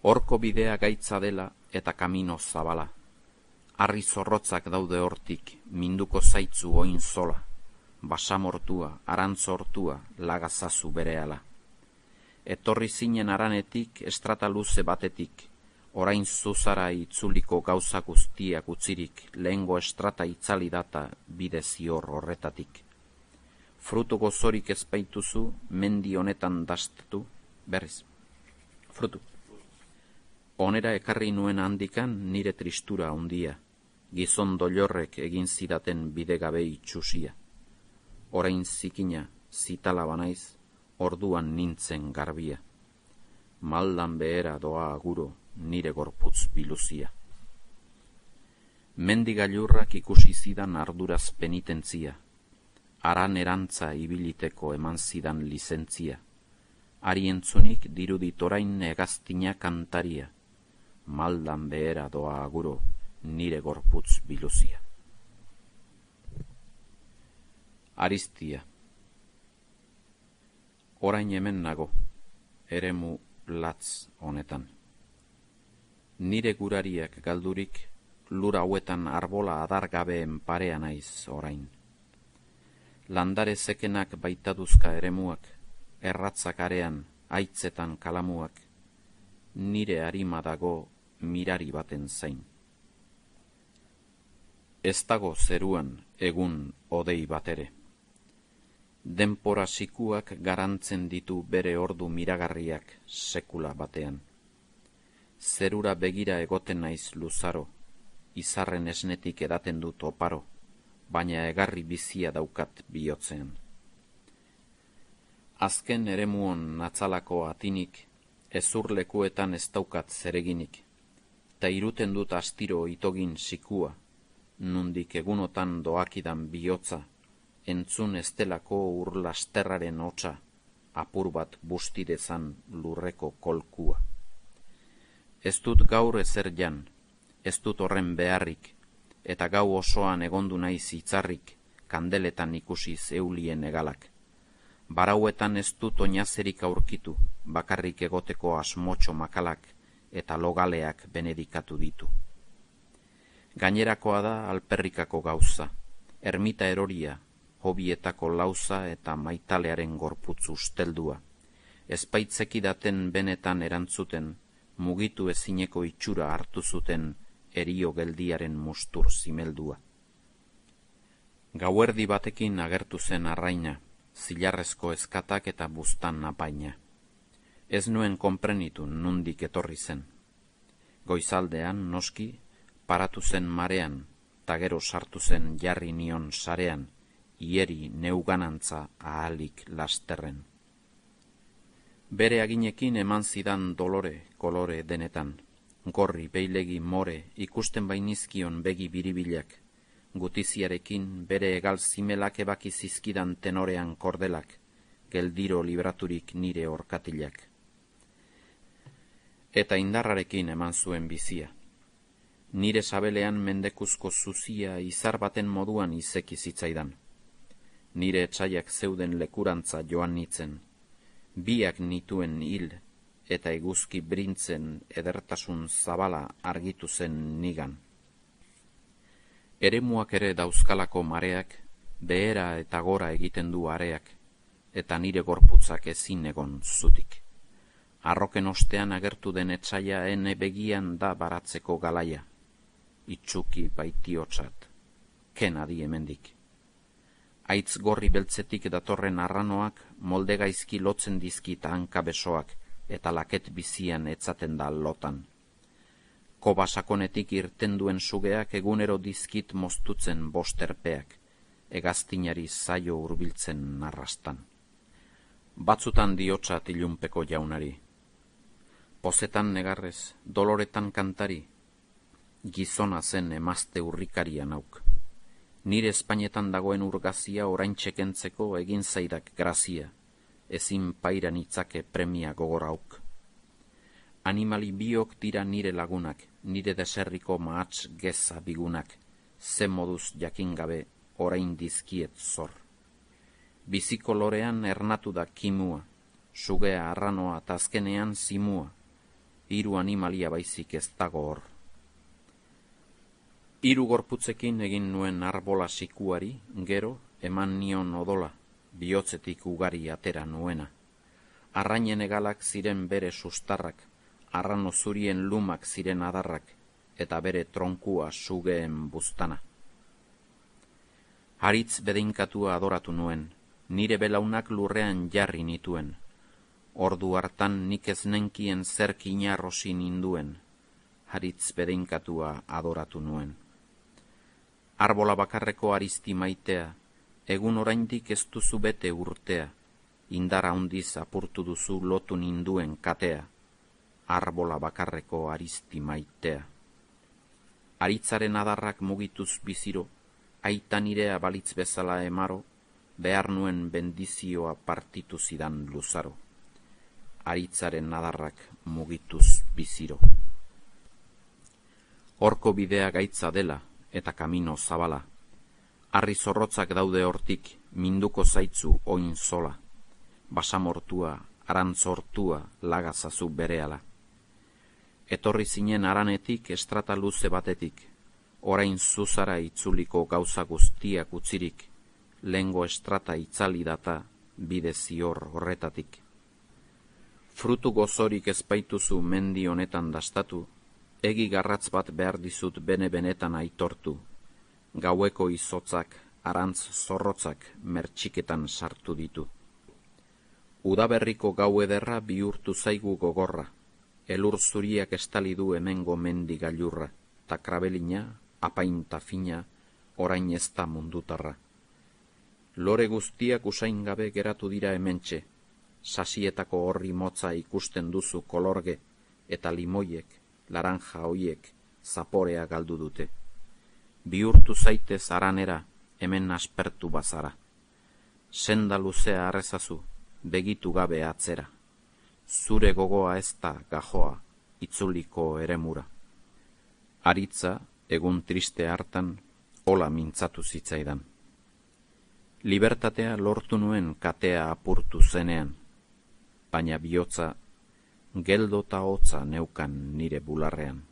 Horko bidea gaitza dela eta kamino zabala. Harri zorrotzak daude hortik, minduko zaitzu oin zola. Basamortua, arantzortua, lagazazu berehala. Etorri zinen aranetik, estrata luze batetik, orain zuzara itzuliko gauza guztiak utzirik, lehengo estrata itzali data bide zior horretatik. Frutu gozorik ezpaituzu, mendi honetan dastatu, berriz. Frutu. Onera ekarri nuen handikan nire tristura handia, gizon doilorrek egin zidaten bidegabe itxusia. Orain zikina, zitala banaiz, orduan nintzen garbia. Maldan behera doa aguro nire gorputz biluzia. Mendi gailurrak ikusi zidan arduraz penitentzia, aran erantza ibiliteko eman zidan lizentzia, ari entzunik dirudit orain hegaztina kantaria, maldan behera doa aguro nire gorputz biluzia. Aristia. Orain hemen nago, eremu latz honetan. Nire gurariak galdurik, lur hauetan arbola adargabeen parea naiz orain. Landare zekenak baitaduzka eremuak, erratzak arean, haitzetan kalamuak, nire harima dago mirari baten zain. Ez dago zeruan egun odei batere. Denpora sikuak garantzen ditu bere ordu miragarriak sekula batean. Zerura begira egoten naiz luzaro, izarren esnetik edaten dut oparo, baina egarri bizia daukat bihotzean. Azken eremuon natzalako atinik, ezurlekuetan ez daukat zereginik, ta iruten dut astiro itogin sikua, nundik egunotan doakidan bihotza, entzun estelako urlasterraren hotsa, apur bat bustidezan lurreko kolkua. Ez dut gaur ezer jan, ez dut horren beharrik, eta gau osoan egondu naiz hitzarrik, kandeletan ikusiz eulien egalak. Barauetan ez dut oinazerik aurkitu, bakarrik egoteko asmotxo makalak eta logaleak benedikatu ditu. Gainerakoa da alperrikako gauza, ermita eroria, hobietako lauza eta maitalearen gorputz usteldua. Ezpaitzeki-daten benetan erantzuten, mugitu ezineko itxura hartu zuten erio geldiaren mustur zimeldua. Gauerdi batekin agertu zen arraina, zilarrezko eskatak eta buztan apaina. Ez nuen konprenitu nundik etorri zen. Goizaldean, noski, paratu zen marean, ta gero sartu zen jarri nion sarean, ieri neuganantza ahalik lasterren. Bere aginekin eman zidan dolore, kolore denetan, gorri, beilegi, more, ikusten bainizkion begi biribilak, gutiziarekin bere egal zimelak ebaki zizkidan tenorean kordelak, geldiro libraturik nire orkatilak. Eta indarrarekin eman zuen bizia. Nire sabelean mendekuzko zuzia izar baten moduan izeki zitzaidan. Nire etxaiak zeuden lekurantza joan nitzen, biak nituen hil eta eguzki brintzen edertasun zabala argitu zen nigan. Eremuak ere dauzkalako mareak, behera eta gora egiten du areak, eta nire gorputzak ezin egon zutik. Arroken ostean agertu den etxaia ene begian da baratzeko galaia, itxuki baitiotzat, kenadi hemendik. Aitz gorri beltzetik datorren arranoak molde gaizki lotzen dizkit hanka besoak eta laket bizian etzaten da lotan. Kobasakonetik irten duen sugeak egunero dizkit moztutzen bosterpeak, hegaztinari zaio hurbiltzen narrastan. Batzutan diotsat ilunpeko jaunari. Pozetan negarrez, doloretan kantari, gizona zen emazte urrikaria nauk. Nire Espainetan dagoen urgazia orain txekentzeko egin zaidak grazia, ezin pairan itzake premia gogorauk. Animali biok dira nire lagunak, nire deserriko mahats geza bigunak, ze moduz jakin gabe orain dizkiet zor. Biziko lorean ernatu da kimua, sugea arranoa eta azkenean zimua, hiru animalia baizik ez dago hor. Hiru gorputzekin egin nuen arbola sikuari, gero eman nion odola, bihotzetik ugari atera nuena. Arrainen egalak ziren bere sustarrak, arrano zurien lumak ziren adarrak, eta bere tronkua sugeen buztana. Haritz bedeinkatua adoratu nuen, nire belaunak lurrean jarri nituen. Ordu hartan nik ez nenkien zerk inarrosi ninduen, haritz bedeinkatua adoratu nuen. Arbola bakarreko arizti maitea, egun oraindik ez duzu bete urtea, indara handiz apurtu duzu lotu ninduen katea, arbola bakarreko arizti maitea. Aritzaren adarrak mugituz biziro, aita nirea balitz bezala emaro, behar nuen bendizioa partitu zidan luzaro. Aritzaren adarrak mugituz biziro. Horko bidea gaitza dela eta kamino zabala. Harri zorrotzak daude hortik, minduko zaitzu oin zola. Basamortua, arantzortua, lagazazu berehala. Etorri zinen aranetik estrata luze batetik, orain zuzara itzuliko gauza guztiak utzirik, lengo estrata itzali data bide zior horretatik. Frutu gozorik ezpaituzu mendi honetan dastatu, egi garratz bat behar dizut bene-benetan aitortu, gaueko izotzak, arantz zorrotzak mertxiketan sartu ditu. Udaberriko gau ederra bihurtu zaigu gogorra, elur zuriak estali du hemengo mendi gailurra, ta krabelina, apainta fina, orain ez da mundutarra. Lore guztiak usain gabe geratu dira hementxe, sasietako horri motza ikusten duzu kolorge, eta limoiek, laranja hoiek, zaporea galdu dute. Bihurtu zaitez aranera, hemen aspertu bazara. Senda luzea arrezazu, begitu gabe atzera. Zure gogoa ez da gajoa, itzuliko eremura. Aritza, egun triste hartan, hola mintzatu zitzaidan. Libertatea lortu nuen katea apurtu zenean, baina bihotza, geldo ta hotza neukan nire bularrean.